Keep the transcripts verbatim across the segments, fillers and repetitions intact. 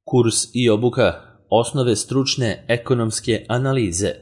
Kurs i obuka osnove stručne ekonomske analize.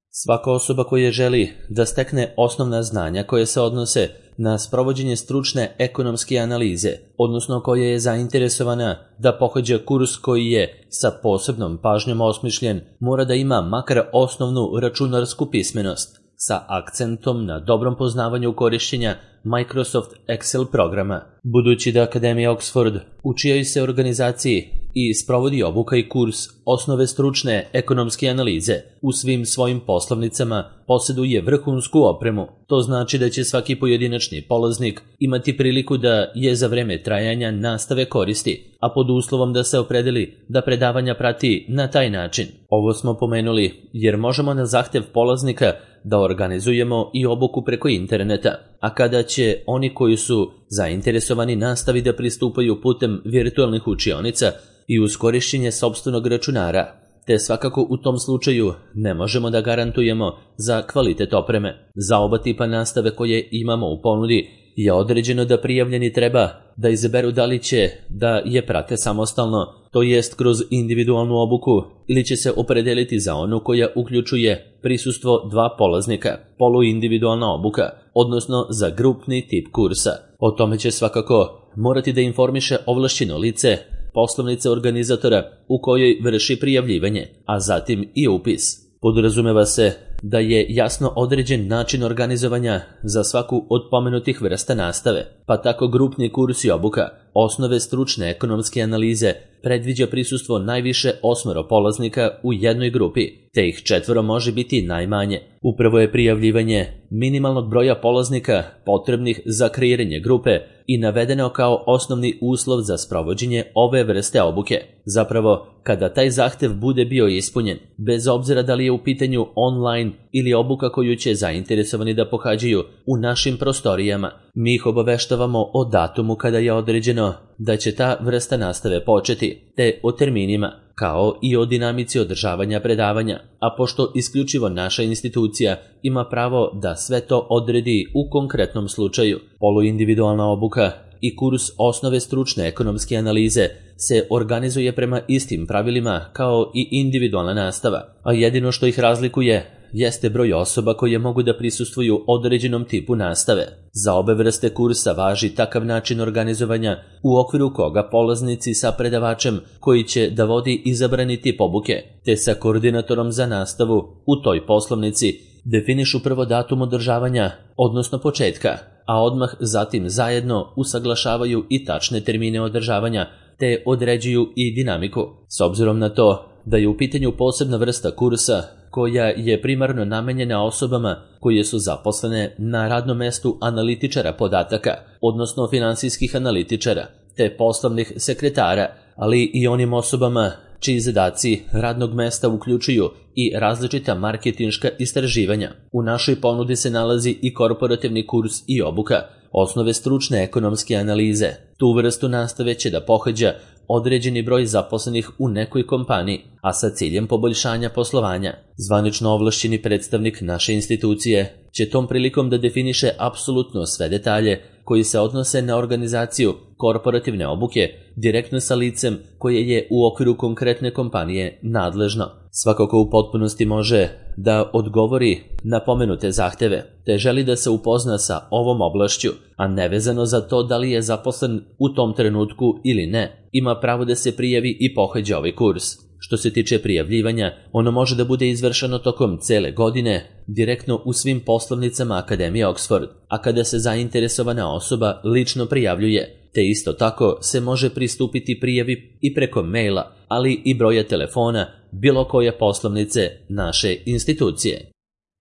Svaka osoba koja želi da stekne osnovna znanja koje se odnose na sprovođenje stručne ekonomske analize, odnosno koja je zainteresovana da pohađa kurs koji je sa posebnom pažnjom osmišljen, mora da ima makar osnovnu računarsku pismenost sa akcentom na dobrom poznavanju korišćenja Microsoft Excel programa. Budući da Akademija Oxford, u čijoj se organizaciji i sprovodi obuka i kurs osnove stručne ekonomske analize, u svim svojim poslovnicama posjeduje vrhunsku opremu. To znači da će svaki pojedinačni polaznik imati priliku da je za vreme trajanja nastave koristi, a pod uslovom da se opredeli da predavanja prati na taj način. Ovo smo pomenuli jer možemo na zahtev polaznika da organizujemo i obuku preko interneta, a kada će oni koji su zainteresovani nastavi da pristupaju putem virtualnih učionica i uz korišćenje sopstvenog računara, te svakako u tom slučaju ne možemo da garantujemo za kvalitet opreme. Za oba tipa nastave koje imamo u ponudi je određeno da prijavljeni treba da izaberu da li će da je prate samostalno, to jest kroz individualnu obuku, ili će se opredeliti za onu koja uključuje prisustvo dva polaznika, poluindividualna obuka, odnosno za grupni tip kursa. O tome će svakako morati da informiše ovlašćeno lice poslovnice organizatora u kojoj vrši prijavljivanje, a zatim i upis. Podrazumeva se da je jasno određen način organizovanja za svaku od pomenutih vrsta nastave, pa tako grupni kurs i obuka osnove stručne ekonomske analize predviđa prisustvo najviše osmero polaznika u jednoj grupi, te ih četvoro može biti najmanje. Upravo je prijavljivanje minimalnog broja polaznika potrebnih za kreiranje grupe i navedeno kao osnovni uslov za sprovođenje ove vrste obuke. Zapravo, kada taj zahtev bude bio ispunjen, bez obzira da li je u pitanju online ili obuka koju će zainteresovani da pohađaju u našim prostorijama, mi ih obaveštavamo o datumu kada je određeno da će ta vrsta nastave početi, te o terminima, kao i o dinamici održavanja predavanja, a pošto isključivo naša institucija ima pravo da sve to odredi u konkretnom slučaju, poluindividualna obuka i kurs osnove stručne ekonomske analize se organizuje prema istim pravilima kao i individualna nastava, a jedino što ih razlikuje jeste broj osoba koje mogu da prisustvuju određenom tipu nastave. Za obe vrste kursa važi takav način organizovanja u okviru koga polaznici sa predavačem koji će da vodi izabrani tip obuke, te sa koordinatorom za nastavu u toj poslovnici definišu prvo datum održavanja, odnosno početka, a odmah zatim zajedno usaglašavaju i tačne termine održavanja, te određuju i dinamiku. S obzirom na to da je u pitanju posebna vrsta kursa koja je primarno namenjena osobama koje su zaposlene na radnom mestu analitičara podataka, odnosno finansijskih analitičara, te poslovnih sekretara, ali i onim osobama čiji zadaci radnog mesta uključuju i različita marketinška istraživanja. U našoj ponudi se nalazi i korporativni kurs i obuka osnove stručne ekonomske analize. Tu vrstu nastave će da pohađa određeni broj zaposlenih u nekoj kompaniji, a sa ciljem poboljšanja poslovanja. Zvanično ovlašćeni predstavnik naše institucije će tom prilikom da definiše apsolutno sve detalje koji se odnose na organizaciju korporativne obuke direktno sa licem koje je u okviru konkretne kompanije nadležno. Svakako u potpunosti može da odgovori na pomenute zahteve, te želi da se upozna sa ovom oblašću, a nevezano za to da li je zaposlen u tom trenutku ili ne, ima pravo da se prijavi i pohađa ovaj kurs. Što se tiče prijavljivanja, ono može da bude izvršeno tokom cele godine, direktno u svim poslovnicama Akademije Oxford, a kada se zainteresovana osoba lično prijavljuje, te isto tako se može pristupiti prijavi i preko maila, ali i broja telefona bilo koje poslovnice naše institucije.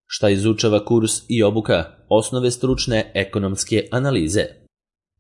Šta izučava kurs i obuka osnove stručne ekonomske analize?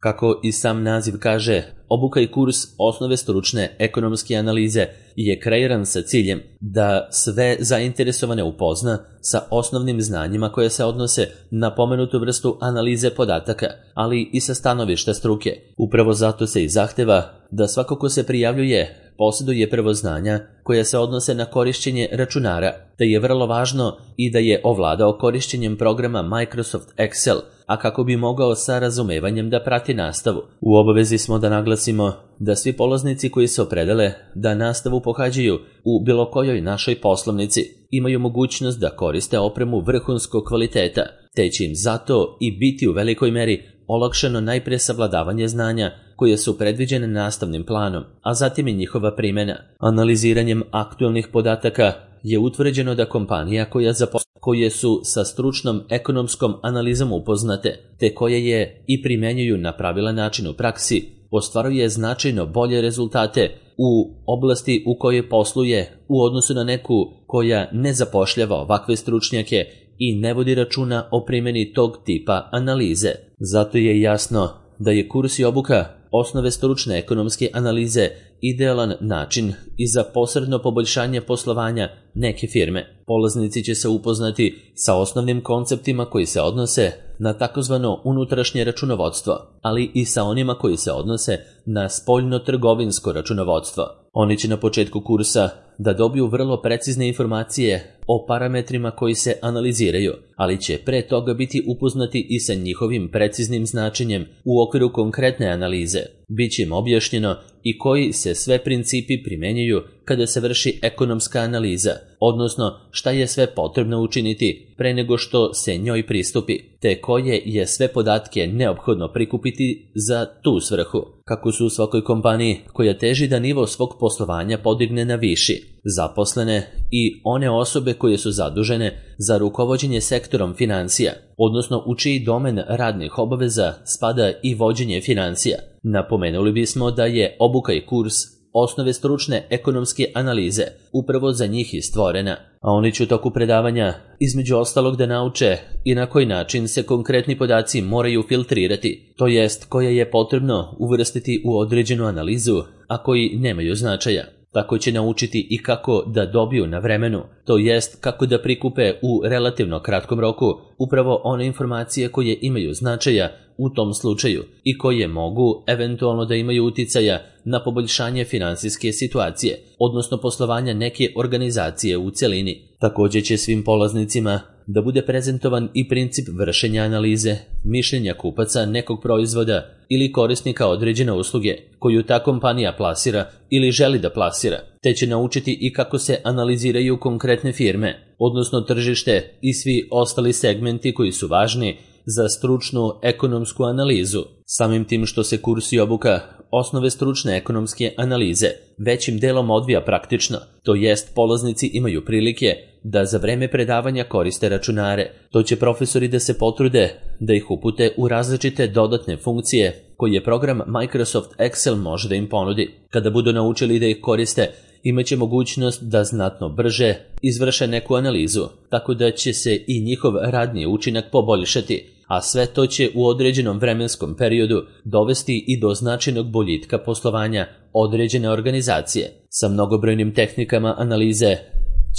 Kako i sam naziv kaže, obuka i kurs osnove stručne ekonomske analize je kreiran sa ciljem da sve zainteresovane upozna sa osnovnim znanjima koje se odnose na pomenutu vrstu analize podataka, ali i sa stanovišta struke. Upravo zato se i zahteva da svako ko se prijavljuje posjeduje prvo znanja koja se odnose na korišćenje računara, te je vrlo važno i da je ovladao korišćenjem programa Microsoft Excel, a kako bi mogao sa razumevanjem da prati nastavu. U obavezi smo da naglasimo da svi polaznici koji se opredele da nastavu pohađaju u bilo kojoj našoj poslovnici imaju mogućnost da koriste opremu vrhunskog kvaliteta, te će im zato i biti u velikoj meri olakšano najpre savladavanje znanja koje su predviđene nastavnim planom, a zatim i njihova primjena. Analiziranjem aktualnih podataka je utvrđeno da kompanija koja zaposle, koje su sa stručnom ekonomskom analizom upoznate, te koje je i primjenjuju na pravilan način u praksi, ostvaruje značajno bolje rezultate u oblasti u kojoj posluje u odnosu na neku koja ne zapošljava ovakve stručnjake i ne vodi računa o primjeni tog tipa analize. Zato je jasno da je kurs i obuka osnove stručne ekonomske analize idealan način i za posredno poboljšanje poslovanja neke firme. Polaznici će se upoznati sa osnovnim konceptima koji se odnose na takozvano unutrašnje računovodstvo, ali i sa onima koji se odnose na spoljno-trgovinsko računovodstvo. Oni će na početku kursa da dobiju vrlo precizne informacije o parametrima koji se analiziraju, ali će pre toga biti upoznati i sa njihovim preciznim značenjem u okviru konkretne analize. Biće im objašnjeno i koji se sve principi primenjuju kada se vrši ekonomska analiza, odnosno šta je sve potrebno učiniti pre nego što se njoj pristupi, te koje je sve podatke neophodno prikupiti za tu svrhu. Kako su u svakoj kompaniji koja teži da nivo svog poslovanja podigne na viši, zaposlene i one osobe koje su zadužene za rukovođenje sektorom financija, odnosno u čiji domen radnih obaveza spada i vođenje financija. Napomenuli bismo da je obuka i kurs osnove stručne ekonomske analize upravo za njih i stvorena, a oni će u toku predavanja između ostalog da nauče i na koji način se konkretni podaci moraju filtrirati, to jest koje je potrebno uvrstiti u određenu analizu, a koji nemaju značaja. Tako će naučiti i kako da dobiju na vremenu, to jest kako da prikupe u relativno kratkom roku upravo one informacije koje imaju značaja u tom slučaju i koje mogu eventualno da imaju uticaja na poboljšanje finansijske situacije, odnosno poslovanja neke organizacije u celini. Također će svim polaznicima da bude prezentovan i princip vršenja analize, mišljenja kupaca nekog proizvoda ili korisnika određene usluge koju ta kompanija plasira ili želi da plasira, te će naučiti i kako se analiziraju konkretne firme, odnosno tržište i svi ostali segmenti koji su važni za stručnu ekonomsku analizu. Samim tim što se kurs i obuka osnove stručne ekonomske analize većim delom odvija praktično, to jest polaznici imaju prilike da za vreme predavanja koriste računare. To će profesori da se potrude da ih upute u različite dodatne funkcije koje program Microsoft Excel može da im ponudi. Kada budu naučili da ih koriste, imaće mogućnost da znatno brže izvrše neku analizu, tako da će se i njihov radni učinak poboljšati, a sve to će u određenom vremenskom periodu dovesti i do značajnog boljitka poslovanja određene organizacije. Sa mnogobrojnim tehnikama analize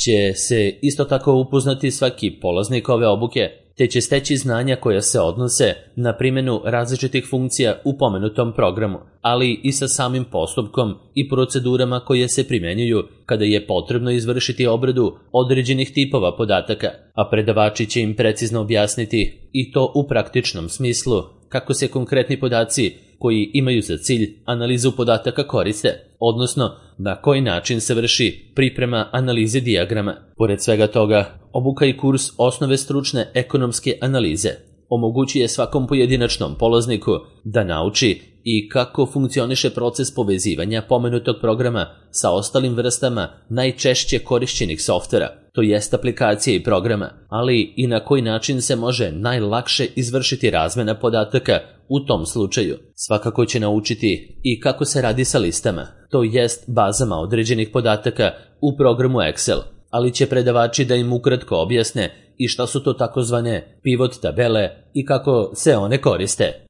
će se isto tako upoznati svaki polaznik ove obuke, te će steći znanja koja se odnose na primjenu različitih funkcija u pomenutom programu, ali i sa samim postupkom i procedurama koje se primjenjuju kada je potrebno izvršiti obradu određenih tipova podataka, a predavači će im precizno objasniti i to u praktičnom smislu kako se konkretni podaci koji imaju za cilj analizu podataka koriste, odnosno na koji način se vrši priprema analize dijagrama. Pored svega toga, obuka i kurs osnove stručne ekonomske analize omogućuje svakom pojedinačnom polazniku da nauči i kako funkcioniše proces povezivanja pomenutog programa sa ostalim vrstama najčešće korišćenih softvera, to jest aplikacije i programa, ali i na koji način se može najlakše izvršiti razmena podataka u tom slučaju. Svakako će naučiti i kako se radi sa listama, to jest bazama određenih podataka u programu Excel, ali će predavači da im ukratko objasne i šta su to takozvane pivot tabele i kako se one koriste.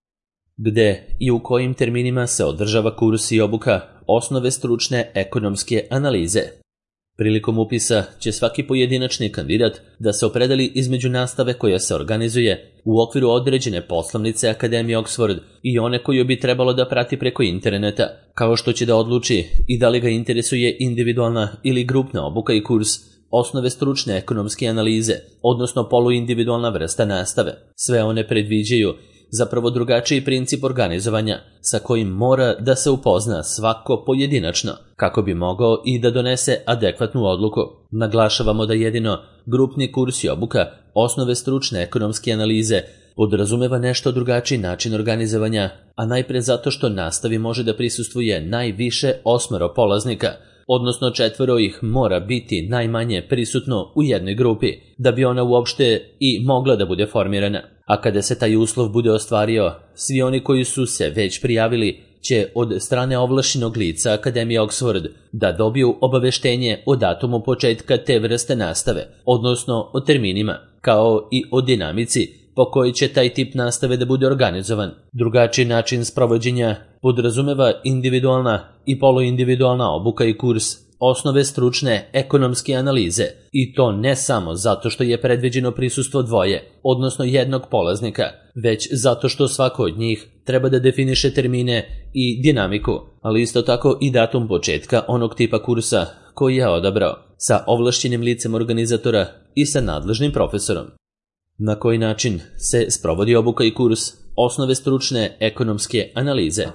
Gde i u kojim terminima se održava kurs i obuka osnove stručne ekonomske analize. Prilikom upisa će svaki pojedinačni kandidat da se opredeli između nastave koja se organizuje u okviru određene poslovnice Akademije Oxford i one koju bi trebalo da prati preko interneta, kao što će da odluči i da li ga interesuje individualna ili grupna obuka i kurs osnove stručne ekonomske analize, odnosno poluindividualna vrsta nastave. Sve one predviđaju zapravo drugačiji princip organizovanja sa kojim mora da se upozna svako pojedinačno kako bi mogao i da donese adekvatnu odluku. Naglašavamo da jedino grupni kurs i obuka osnove stručne ekonomske analize podrazumeva nešto drugačiji način organizovanja, a najpre zato što nastavi može da prisustvuje najviše osmero polaznika, odnosno četvoro ih mora biti najmanje prisutno u jednoj grupi, da bi ona uopšte i mogla da bude formirana. A kada se taj uslov bude ostvario, svi oni koji su se već prijavili će od strane ovlašćenog lica Akademije Oxford da dobiju obaveštenje o datumu početka te vrste nastave, odnosno o terminima, kao i o dinamici po kojoj će taj tip nastave da bude organizovan. Drugačiji način sprovođenja podrazumeva individualna i poluindividualna obuka i kurs osnove stručne ekonomske analize, i to ne samo zato što je predviđeno prisustvo dvoje, odnosno jednog polaznika, već zato što svako od njih treba da definiše termine i dinamiku, ali isto tako i datum početka onog tipa kursa koji je odabrao, sa ovlašćenim licem organizatora i sa nadležnim profesorom. Na koji način se sprovodi obuka i kurs osnove stručne ekonomske analize?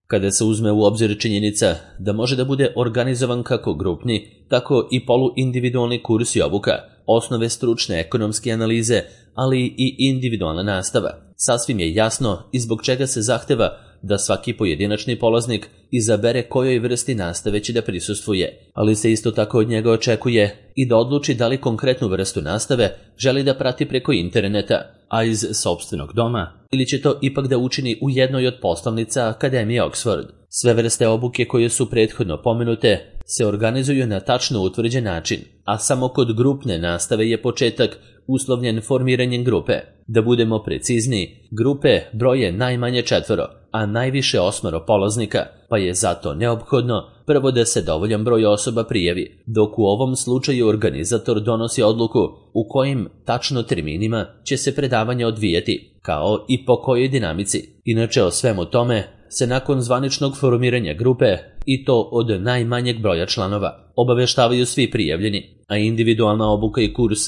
Kada se uzme u obzir činjenica da može da bude organizovan kako grupni, tako i poluindividualni kurs i obuka, osnove stručne ekonomske analize, ali i individualna nastava, sasvim je jasno i zbog čega se zahteva da svaki pojedinačni polaznik izabere kojoj vrsti nastave će da prisustvuje, ali se isto tako od njega očekuje i da odluči da li konkretnu vrstu nastave želi da prati preko interneta, a iz sopstvenog doma, ili će to ipak da učini u jednoj od poslovnica Akademije Oxford. Sve vrste obuke koje su prethodno pomenute se organizuju na tačno utvrđen način, a samo kod grupne nastave je početak uslovljen formiranjem grupe. Da budemo precizniji, grupe broje najmanje četvoro, a najviše osmero polaznika, pa je zato neophodno prvo da se dovoljan broj osoba prijavi, dok u ovom slučaju organizator donosi odluku u kojim tačno terminima će se predavanje odvijati, kao i po kojoj dinamici. Inače o svemu tome se nakon zvaničnog formiranja grupe, i to od najmanjeg broja članova, obaveštavaju svi prijavljeni, a individualna obuka i kurs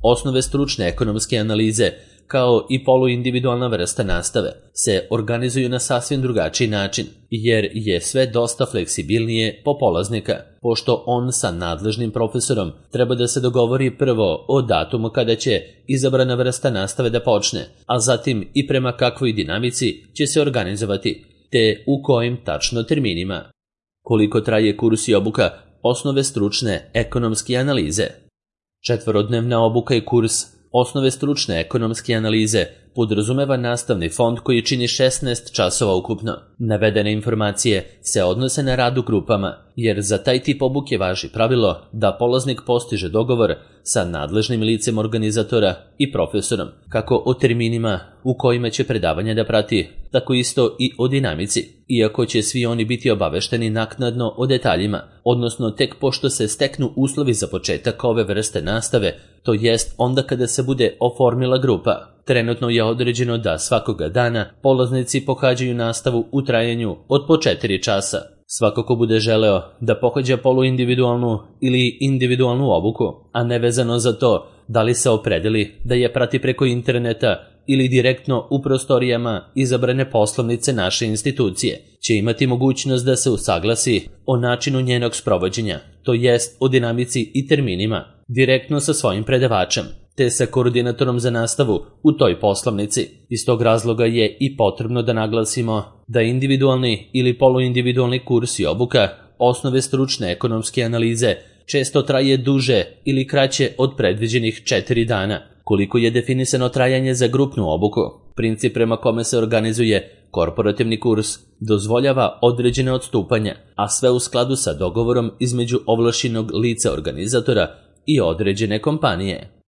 osnove stručne ekonomske analize, kao i poluindividualna vrsta nastave, se organizuju na sasvim drugačiji način, jer je sve dosta fleksibilnije po polaznika, pošto on sa nadležnim profesorom treba da se dogovori prvo o datumu kada će izabrana vrsta nastave da počne, a zatim i prema kakvoj dinamici će se organizovati, te u kojim tačno terminima. Koliko traje kurs i obuka osnove stručne ekonomske analize? Četvorodnevna obuka i kurs osnove stručne ekonomske analize podrazumeva nastavni fond koji čini šesnaest časova ukupno. Navedene informacije se odnose na rad u grupama, jer za taj tip obuke važi pravilo da polaznik postiže dogovor sa nadležnim licem organizatora i profesorom, kako o terminima u kojima će predavanje da prati, tako isto i o dinamici, iako će svi oni biti obavešteni naknadno o detaljima, odnosno tek pošto se steknu uslovi za početak ove vrste nastave, to jest onda kada se bude oformila grupa. Trenutno je određeno da svakoga dana polaznici pohađaju nastavu u trajanju od po četiri časa. Svako ko bude želeo da pohađa poluindividualnu ili individualnu obuku, a nevezano za to da li se opredeli da je prati preko interneta ili direktno u prostorijama izabrane poslovnice naše institucije, će imati mogućnost da se usaglasi o načinu njenog sprovođenja, to jest o dinamici i terminima, direktno sa svojim predavačem, te sa koordinatorom za nastavu u toj poslovnici. Iz tog razloga je i potrebno da naglasimo da individualni ili poluindividualni kurs i obuka osnove stručne ekonomske analize često traje duže ili kraće od predviđenih četiri dana. Koliko je definisano trajanje za grupnu obuku, princip prema kome se organizuje korporativni kurs dozvoljava određene odstupanja, a sve u skladu sa dogovorom između ovlašćenog lica organizatora i određene kompanije.